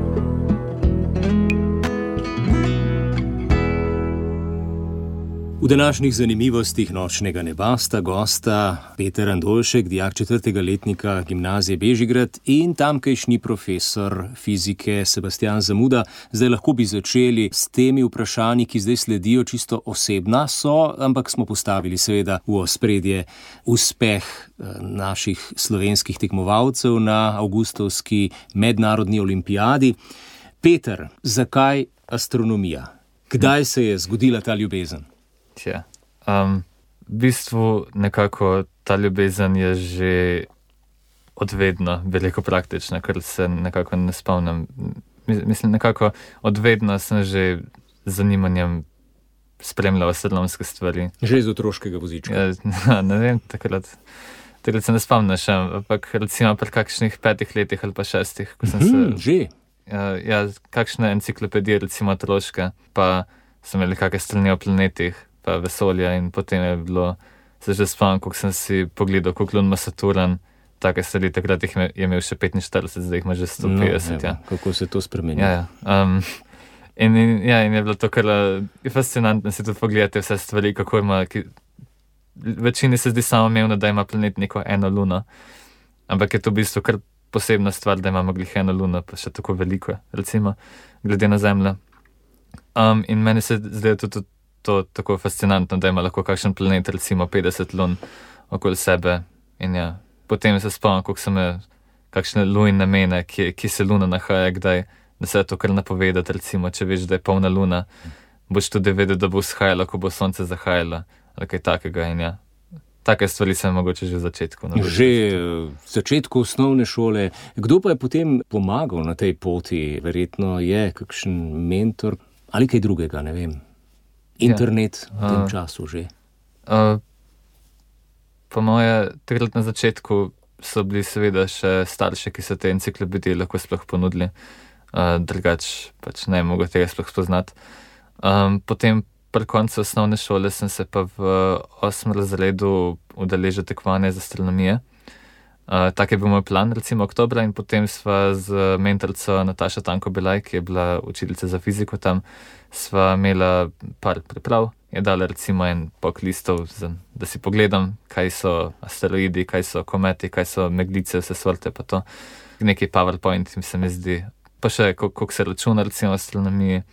V današnjih zanimivostih nočnega neba sta gosta Peter Andoljšek, dijak četrtega letnika gimnazije Bežigrad in tamkajšnji profesor fizike Sebastian Zamuda. Zdaj lahko bi začeli s temi vprašanji, ki zdaj sledijo, čisto osebna so, ampak smo postavili seveda v ospredje uspeh naših slovenskih tekmovalcev na avgustovski mednarodni olimpijadi. Peter, zakaj astronomija? Kdaj se je zgodila ta ljubezen? Ja. Um, v bistvu nekako ta ljubezen je že odvedno veliko praktična, ker se nekako ne spomnim. Mislim, nekako odvedno sem že z zanimanjem spremljal astronomske stvari. Že iz otroškega vozička? Ja, ne vem, takrat, takrat se ne spomnim še, ampak recimo pri kakšnih petih letih ali pa šestih, ko sem hmm, se... Že? Ja, ja, kakšne enciklopedije, recimo otroške, pa so imeli kakšne strani o planetih, pa vesolja in potem je bilo, se že spomnim, koliko sem si pogledal, koliko lun ima Saturn, take stvari, takrat jih je imel še petinštirideset, zdaj jih ima že sto petdeset. No, ja. Kako se to spremeni? Ja, ja. Um, in, in, ja, in je bilo to kar fascinantno si tudi pogledati vse stvari, kako ima, ki, večini se zdi samoumevno, da ima planet neko eno luno, ampak je to v bistvu kar posebna stvar, da imamo glih eno luno, pa še tako veliko, recimo, glede na Zemljo. Um, in meni se zdi tudi to tako fascinantno, da ima lahko kakšen planet, recimo petdeset lun okoli sebe. In ja, potem se spomnim, koliko sem imel kakšne lune namene, ki, ki se luna nahaja, kdaj, da se je to kar napovedati, recimo, če veš, da je polna luna, boš tudi vedel, da bo vzhajalo, ko bo sonce zahajalo, ali kaj takega. In ja, take stvari sem mogoče že v začetku. Že v začetku osnovne šole. Kdo pa je potem pomagal na tej poti? Verjetno je kakšen mentor ali kaj drugega, ne vem. Internet ja. v tem uh, času že. Uh, po moje, takrat na začetku so bili seveda še starši, ki so te enciklopedije lahko sploh ponudili. Uh, drugač pač ne mogo tega sploh spoznati. Um, potem pri koncu osnovne šole sem se pa v osmem razredu udeležil tekmovanja iz astronomije. Uh, tak je bil moj plan, recimo oktobra, in potem sva z mentorico Natašo Tanko-Belaj, ki je bila učiteljica za fiziko tam, sva imela par priprav, je dala recimo en pok listov, za, da si pogledam, kaj so asteroidi, kaj so kometi, kaj so meglice, vse sorte, pa to. Neki PowerPoint se mi zdi, pa še koliko se računa recimo v astronomiji.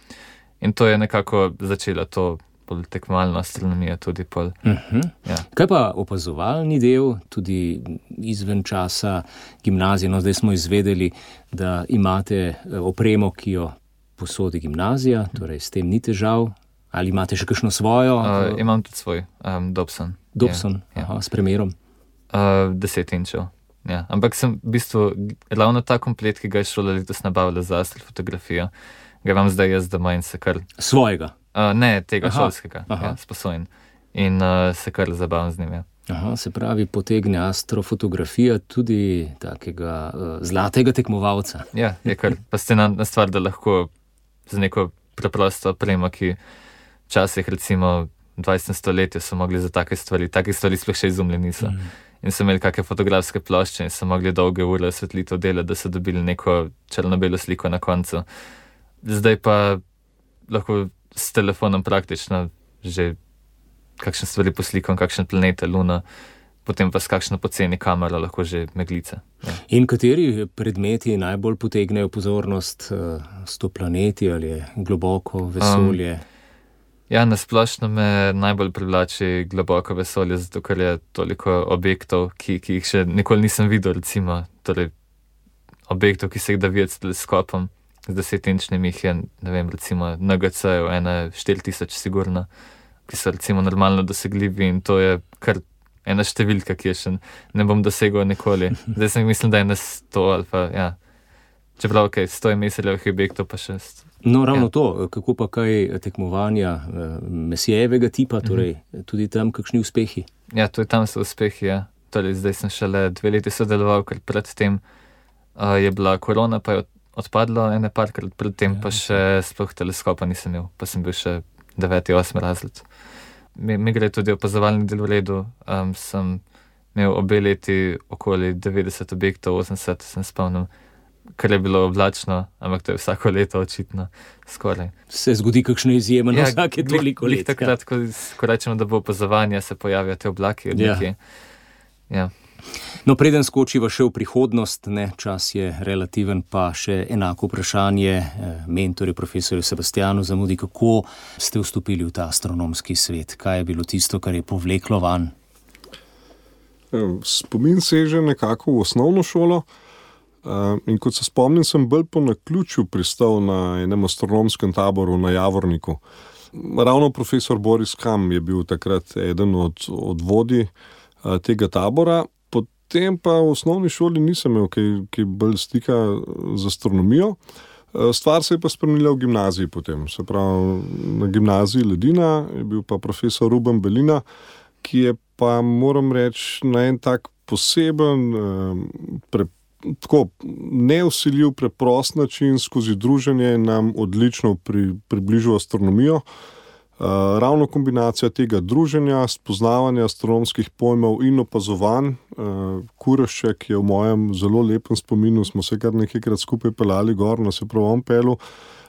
In to je nekako začela to bolj tekmovalno astronomijo tudi pol. Uh-huh. Ja. Kaj pa opazovalni del, tudi izven časa gimnazije? No, zdaj smo izvedeli, da imate opremo, ki jo posodi gimnazija, torej s tem ni težav. Ali imate še kakšno svojo? Uh, imam tudi svoj, um, Dobson. Dobson, ja, aha, ja. S premerom? Uh, deset inčev, ja. Ampak sem v bistvu ravno ta komplet, ki ga je šola letos nabavila za astrofotografijo, ga imam zdaj jaz doma in se kar... Svojega? Uh, ne, tega aha. šolskega, ja, sposojen. In uh, se kar zabavam z njim, ja. Aha, se pravi, potegne astrofotografija tudi takega uh, zlatega tekmovalca. Ja, je kar fascinantna stvar, da lahko z neko preprosto opremo, ki včasih recimo v dvajsetem stoletju so mogli za take stvari, take stvari sploh še izumljeni niso. Mm. In so imeli kakšne fotografske plošče in so mogli dolge ure osvetlitev delati, da so dobili neko črno-belo sliko na koncu. Zdaj pa lahko s telefonom praktično že kakšne stvari poslikam, kakšne planete, luna, potem pa s kakšno poceni kamero lahko že meglice. Ja. In kateri predmeti najbolj potegnejo pozornost, sto planeti ali je globoko vesolje? Um, Ja, nasplošno me najbolj privlači globoko vesolje, zato ker je toliko objektov, ki, ki jih še nikoli nisem videl, recimo, torej objektov, ki se jih da videti s teleskopom, z desetinčnim jih je, ne vem, recimo N G C-jev, ena štiri tisoč sigurno, ki so recimo normalno dosegljivi in to je kar ena številka, ki je še ne bom dosegel nikoli. Zdaj sem mislim, da je na sto ali pa, ja, čeprav, ok, sto je meseljevih objektov pa še sto. No, ravno ja. To, kako pa kaj tekmovanja mesijevega tipa, torej uh-huh. tudi tam kakšni uspehi? Ja, tudi tam so uspehi, ja. Torej, zdaj sem šele dve leti sodeloval, ker predtem uh, je bila korona, pa je odpadlo ene parkrat, predtem ja, pa še sploh teleskopa nisem imel, pa sem bil še deveti, osmi razred. Mi, mi gre tudi opazovalni del v redu, um, sem imel obe leti okoli devetdeset objektov, osemdeset sem spomnil, kar je bilo oblačno, ampak to je vsako leto očitno skoraj. Se zgodi kakšno izjemno ja, vsake toliko let. Takrat, ko, ko rečemo, da bo opazovanje, se pojavijo te oblaki od nekje. Ja. Ja. No, preden skočiva še v prihodnost, ne, čas je relativen, pa še enako vprašanje mentorju, profesorju Sebastianu Zamudi, kako ste vstopili v ta astronomski svet? Kaj je bilo tisto, kar je povleklo van? Spomin seže nekako v osnovno šolo. Uh, in kot se spomnim, sem bolj po naključju pristal na enem astronomskem taboru na Javorniku. Ravno profesor Boris Kam je bil takrat eden od, od vodij uh, tega tabora. Potem pa v osnovni šoli nisem imel kaj, kaj bolj stika z astronomijo. Uh, stvar se je pa spremenila v gimnaziji potem. Se pravi, na gimnaziji Ledina je bil pa profesor Ruben Belina, ki je pa, moram reči, na en tak poseben uh, preprost, tako neusiljiv, preprost način skozi druženje nam odlično pri, približil astronomijo. Uh, ravno kombinacija tega druženja, spoznavanja astronomskih pojmov in opazovanj. Uh, Kurešček je v mojem zelo lepem spominu, smo se kar nekajkrat skupaj pelali gor na se pravom pelu.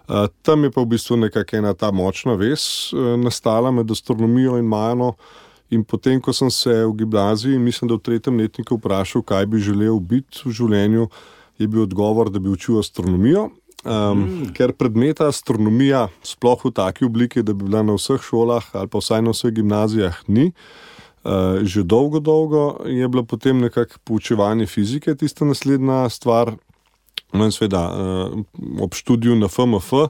Uh, tam je pa v bistvu nekako ena ta močna vez uh, nastala med astronomijo in Majano. In potem, ko sem se v gimnaziji, mislim, da v tretjem letniku vprašal, kaj bi želel biti v življenju, je bil odgovor, da bi učil astronomijo. Um, mm. Ker predmeta astronomija sploh v taki obliki, da bi bila na vseh šolah ali pa vsaj na vseh gimnazijah, ni. Uh, že dolgo, dolgo je bilo potem nekako poučevanje fizike tista naslednja stvar. No in seveda, uh, ob študiju na F M F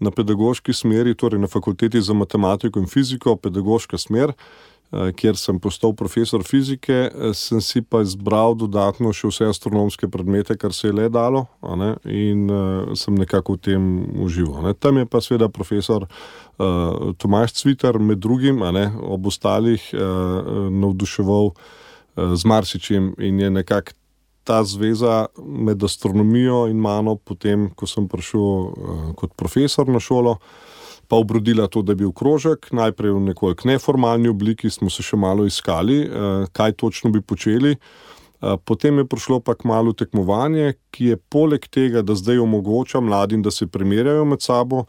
na pedagoški smeri, torej na fakulteti za matematiko in fiziko, pedagoška smer, kjer sem postal profesor fizike, sem si pa izbral dodatno še vse astronomske predmete, kar se je le dalo, a ne, in uh, sem nekako v tem užival. Ne. Tam je pa seveda profesor uh, Tomaž Cvitar med drugim, a ne, ob ostalih uh, navduševal uh, z marsičem in je nekako ta zveza med astronomijo in mano potem, ko sem prišel uh, kot profesor na šolo, pa obrodila to, da je bil krožek, najprej v nekoliko neformalni obliki, smo se še malo iskali, kaj točno bi počeli. Potem je prišlo pa kmalu tekmovanje, ki je poleg tega, da zdaj omogoča mladim, da se primerjajo med sabo,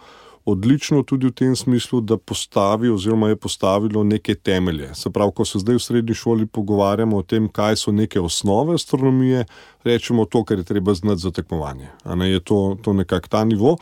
odlično tudi v tem smislu, da postavi oziroma je postavilo neke temelje. Se pravi, ko se zdaj v srednji šoli pogovarjamo o tem, kaj so neke osnove astronomije, rečemo to, kar je treba znati za tekmovanje. A ne, je to, to nekak ta nivo.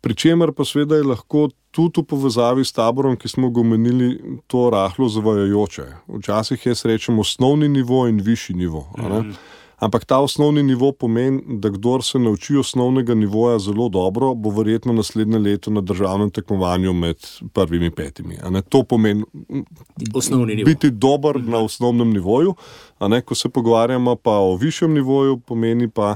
Pričemer pa seveda je lahko tudi v povezavi s taborom, ki smo ga omenili, to rahlo zavajajoče. Včasih jaz rečem osnovni nivo in višji nivo. Mm. Ampak ta osnovni nivo pomeni, da kdor se nauči osnovnega nivoja zelo dobro, bo verjetno naslednje leto na državnem tekmovanju med prvimi petimi. A ne? To pomeni biti dober mm. na osnovnem nivoju. A ne? Ko se pogovarjamo pa o višjem nivoju, pomeni pa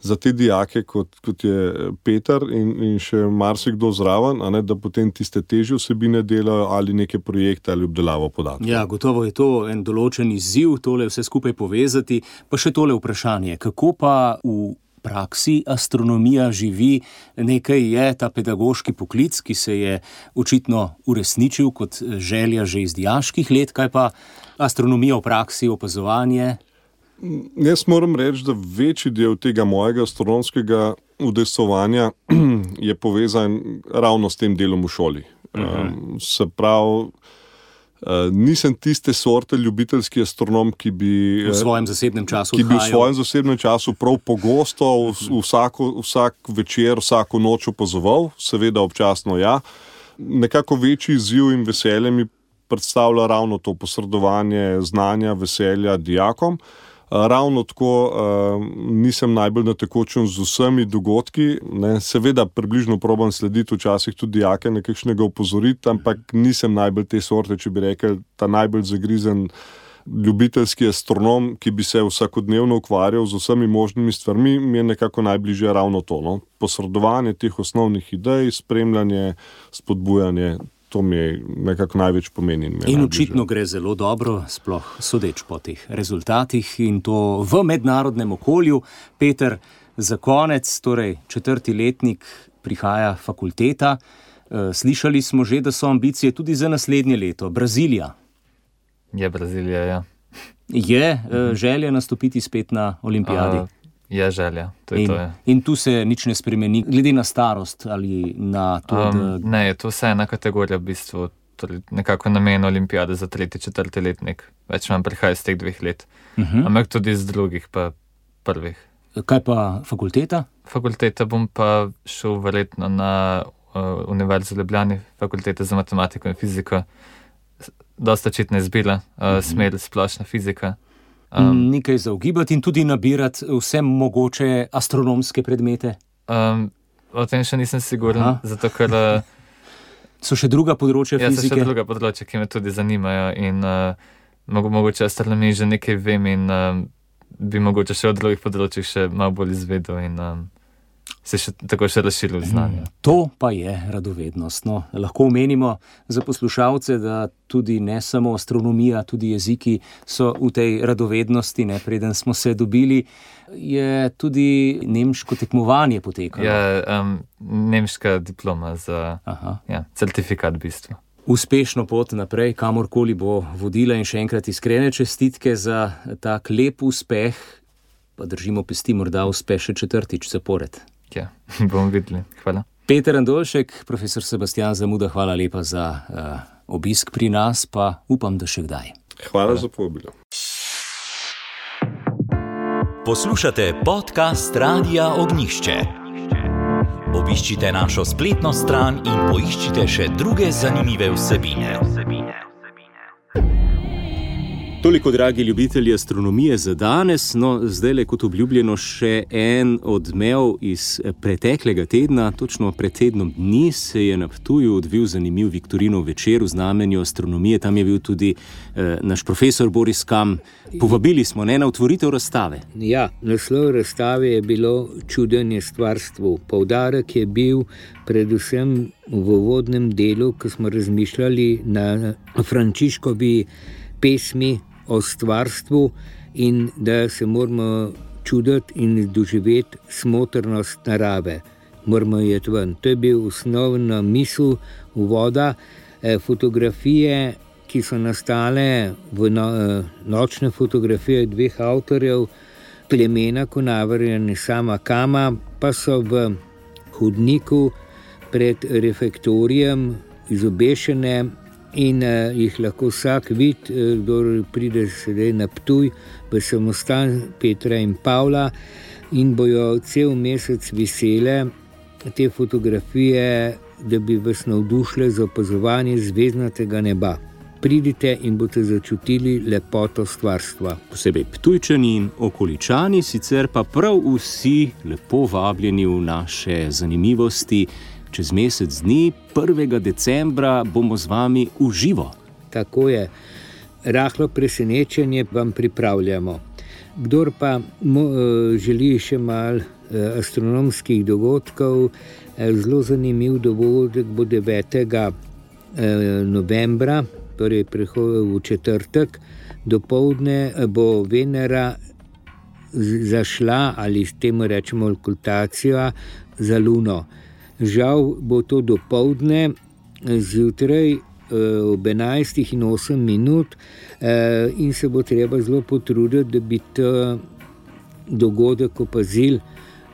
za te dijake, kot, kot je Peter in, in še marsikdo zraven, a ne, da potem tiste težje vsebine delajo ali neke projekte ali obdelavo podatkov. Ja, gotovo je to en določen izziv, tole vse skupaj povezati. Pa še tole vprašanje, kako pa v praksi astronomija živi? Nekaj je ta pedagoški poklic, ki se je očitno uresničil kot želja že iz dijaških let, kaj pa astronomija v praksi, opazovanje? Jaz moram reči, da večji del tega mojega astronomskega udejstvovanja je povezan ravno s tem delom v šoli. Uh-huh. Se pravi, nisem tiste sorte ljubiteljski astronom, ki bi v svojem zasebnem času ki bi v svojem zasebnem času prav pogosto vsako, vsak večer, vsako noč opazoval, seveda občasno ja. Nekako večji izziv in veselje mi predstavlja ravno to posredovanje znanja, veselja dijakom. Ravno tako uh, nisem najbolj na tekočem z vsemi dogodki, ne, seveda približno probam slediti včasih tudi dijake nekakšnega opozoriti, ampak nisem najbolj te sorte, če bi rekel, ta najbolj zagrizen ljubiteljski astronom, ki bi se vsakodnevno ukvarjal z vsemi možnimi stvarmi, mi je nekako najbližje ravno to, no, posredovanje teh osnovnih idej, spremljanje, spodbujanje. To mi je nekako največ pomeni. In očitno gre zelo dobro, sploh sodeč po teh rezultatih in to v mednarodnem okolju. Peter, za konec, torej četrti letnik, prihaja fakulteta. Slišali smo že, da so ambicije tudi za naslednje leto. Brazilija. Je Brazilija, ja. Je želja nastopiti spet na olimpijadi? Uh, je želja, to je in, to. Je. In tu se nič ne spremeni, glede na starost ali na to, um, da... Ne, je to vse ena kategorija v bistvu, torej nekako namen olimpijade za tretji, četrti letnik. Več manj prihaja iz teh dveh let. Uh-huh. Ampak tudi iz drugih pa prvih. Kaj pa fakulteta? Fakulteta bom pa šel verjetno na uh, Univerzo v Ljubljani, fakulteta za matematiko in fiziko. Dosta očitna izbira, uh, uh-huh. smer splošna fizika. Um, Nekaj za ugibati in tudi nabirati vse mogoče astronomske predmete? Um, o tem še nisem siguren, Aha. zato ker... So še druga področja ja, fizike? Ja, so še druga področja, ki me tudi zanimajo in uh, mogo, mogoče astronomiji že nekaj vem in uh, bi mogoče še od drugih področjih še malo bolj izvedel in um, se še, tako še razširil znanje. Hmm. To pa je radovednost. No, lahko omenimo za poslušalce, da tudi ne samo astronomija, tudi jeziki so v tej radovednosti, ne, preden smo se dobili, je tudi nemško tekmovanje potekalo. Ja, um, nemška diploma za ja, certifikat v bistvu. Uspešno pot naprej, kamorkoli bo vodila in še enkrat iskrene čestitke za tak lep uspeh, pa držimo pesti, morda uspe še četrtič zapored. Ja, bomo videli. Hvala. Peter Andoljšek, profesor Sebastian Zamuda, hvala lepa za uh, obisk pri nas, pa upam, da še kdaj. Hvala, hvala. za povabilo. Poslušate podcast Radia Ognišče. Obiščite našo spletno stran in poiščite še druge zanimive vsebine. Toliko, dragi ljubitelji astronomije, za danes. No, zdaj le kot obljubljeno še en odmev iz preteklega tedna. Točno pred tednom dni se je na Ptuju odvil zanimiv Viktorinov večer v znamenju astronomije. Tam je bil tudi eh, naš profesor Boris Kam. Povabili smo ne na otvoritev razstave. Ja, naslov razstave je bilo Čudenje stvarstvu. Poudarek je bil predvsem v uvodnem delu, ko smo razmišljali na Frančiškovi pesmi o stvarstvu in da se moramo čuditi in doživeti smotrnost narave. Moramo jeti ven. To je bil osnovna misel uvoda. Fotografije, ki so nastale v no, nočne fotografije dveh avtorjev, Klemena Konavarja in Sama Kama, pa so v hodniku pred refektorijem izobešene in uh, jih lahko vsak vidi, uh, kdo pride sedaj na Ptuj v samostan Petra in Pavla, in bojo cel mesec vesele te fotografije, da bi vas navdušile za opazovanje zvezdnatega neba. Pridite in boste začutili lepoto stvarstva. Posebej Ptujčani in okoličani, sicer pa prav vsi lepo vabljeni v naše zanimivosti. Čez mesec dni, prvega decembra, bomo z vami v živo. Tako je. Rahlo presenečenje vam pripravljamo. Kdor pa mo, želi še malo astronomskih dogodkov, zelo zanimiv dogodek bo devetega novembra, torej v četrtek, dopoldne bo Venera zašla, ali s tem rečemo okultacija, za Luno. Žal bo to dopoldne, zjutraj ob enajstih in osem minut, in se bo treba zelo potruditi, da bi ta dogodek opazili,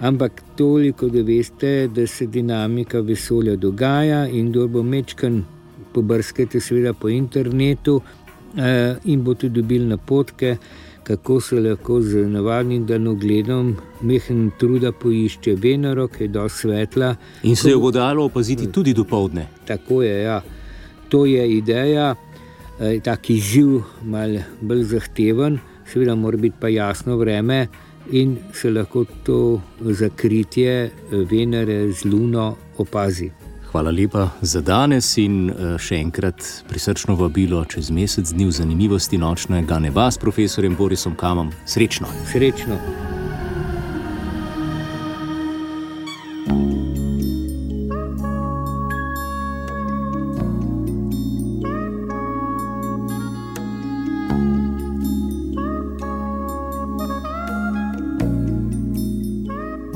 ampak toliko, da veste, da se dinamika vesolja dogaja in kdo bo mečkan, pobrskajte seveda po internetu in boste dobili napotke, kako se lahko z navadnim daljnogledom mehen truda poišče Venero, ki je dosti svetla. In se jo bo dalo opaziti tudi dopoldne. Tako je, ja. To je ideja, tak izziv, malo bolj zahteven, seveda mora biti pa jasno vreme in se lahko to zakritje Venere z Luno opazi. Hvala lepa za danes in še enkrat prisrčno vabilo čez mesec dni v zanimivosti nočnega neba s profesorjem Borisom Kamom. Srečno! Srečno!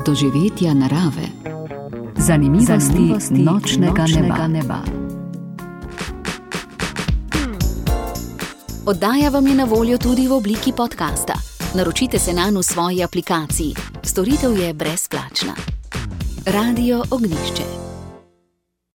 Doživetja narave. Zanimivosti, Zanimivosti nočnega, nočnega neba. neba. Oddaja vam je na voljo tudi v obliki podcasta. Naročite se nanj v svoji aplikaciji. Storitev je brezplačna. Radio Ognjišče.